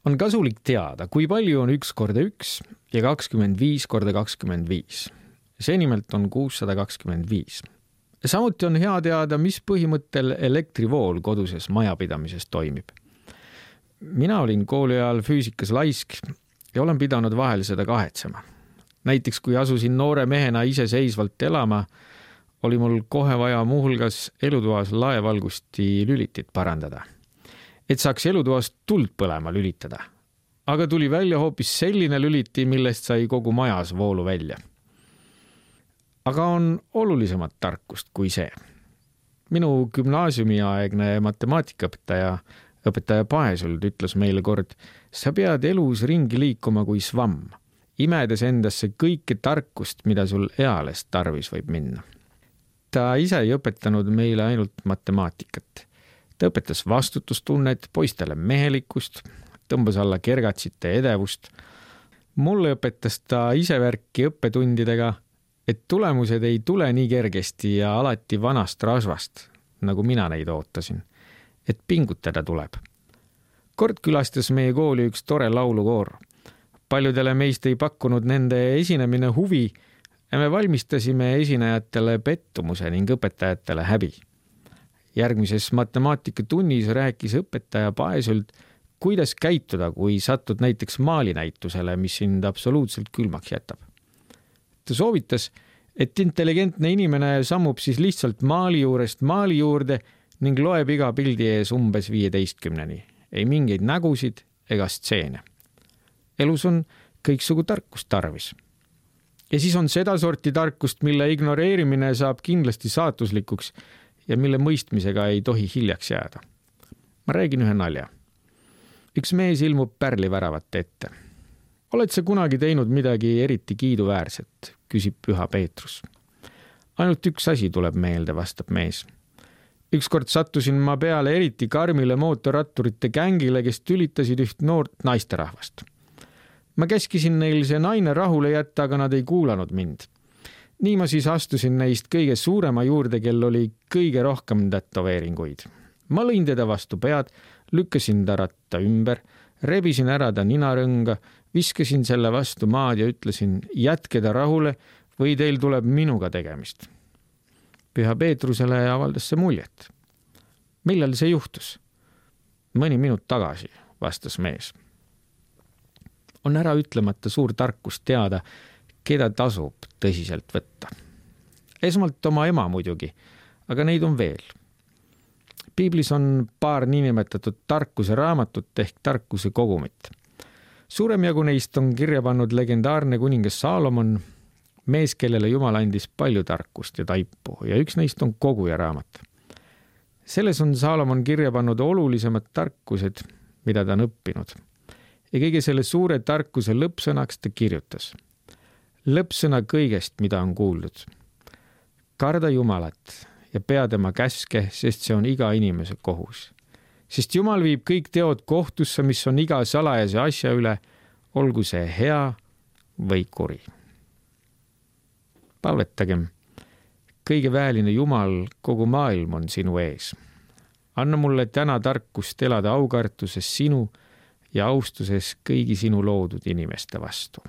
On kasulik teada, kui palju on 1 korda 1 ja 25 korda 25. See nimelt on 625. Samuti on hea teada, mis põhimõttel elektrivool koduses majapidamises toimib. Mina olin kooli ajal füüsikas laisk ja olen pidanud vahel seda kahetsema. Näiteks kui asusin noore mehena iseseisvalt elama, oli mul kohe vaja muuhulgas elutoas laevalgusti lülitit parandada, et saaks elutoast tuld põlema lülitada. Aga tuli välja hoopis selline lüliti, millest sai kogu majas voolu välja. Aga on olulisemat tarkust kui see. Minu gümnaasiumiaegne matemaatikaõpetaja Paesuld ütles meile kord, sa pead elus ringi liikuma kui svamm, imedes endasse kõike tarkust, mida sul eales tarvis võib minna. Ta ise ei õpetanud meile ainult matemaatikat. Ta õpetas vastutustunnet, poistele mehelikkust, tõmbas alla kergatsite edevust. Mulle õpetas ta ise värki õppetundidega, et tulemused ei tule nii kergesti ja alati vanast rasvast, nagu mina neid ootasin, et pingutada tuleb. Kord külastas meie kooli üks tore laulukoor. Paljudele meist ei pakkunud nende esinemine huvi ja me valmistasime esinejatele pettumuse ning õpetajatele häbi. Järgmises matemaatikatunnis rääkis õpetaja Paesult, kuidas käituda, kui satud näiteks maalinäitusele, mis sind absoluutselt külmaks jätab. Ta soovitas, et intelligentne inimene sammub siis lihtsalt maali juurest maali juurde ning loeb iga pildi ees umbes 15-ni. Ei mingeid nägusid ega stseene. Elus on kõiksugu tarkust tarvis. Ja siis on seda sorti tarkust, mille ignoreerimine saab kindlasti saatuslikuks ja mille mõistmisega ei tohi hiljaks jääda. Ma räägin ühe nalja. Üks mees ilmub pärliväravate ette. Oled sa kunagi teinud midagi eriti kiiduväärset, küsib Püha Peetrus. Ainult üks asi tuleb meelde, vastab mees. Ükskord sattusin ma peale eriti karmile mootorratturite gängile, kes tülitasid üht noort naisterahvast. Ma käskisin neil see naine rahule jätta, aga nad ei kuulanud mind. Nii ma siis astusin neist kõige suurema juurde, kel oli kõige rohkem tätoveeringuid. Ma lõin teda vastu pead, lükkasin ta ratta ümber, rebisin ära ta ninarõnga, viskasin selle vastu maad ja ütlesin, jätke ta rahule või teil tuleb minuga tegemist. Püha Peetrusele avaldas see muljet. Millal see juhtus? Mõni minut tagasi, vastas mees. On ära ütlemata suur tarkus teada, keda tasub tõsiselt võtta. Esmalt oma ema muidugi, aga neid on veel. Piiblis on paar niinimetatud tarkuse raamatut ehk tarkuse kogumit. Suurem jagu neist on kirja pannud legendaarne kuningas Saalomon, mees, kellele Jumal andis palju tarkust ja taipu ja üks neist on koguja raamat. Selles on Saalomon kirja pannud olulisemad tarkused, mida ta on õppinud. Ja kõige selle suure tarkuse lõppsõnaks ta kirjutas. Lõppsõna kõigest, mida on kuuldud. Karda Jumalat ja pea tema käske, sest see on iga inimese kohus. Sest Jumal viib kõik teod kohtusse, mis on iga salajase asja üle, olgu see hea või kuri. Palvetagem, kõige väeline Jumal, kogu maailm on sinu ees. Anna mulle täna tarkust elada aukartuses sinu ja austuses kõigi sinu loodud inimeste vastu.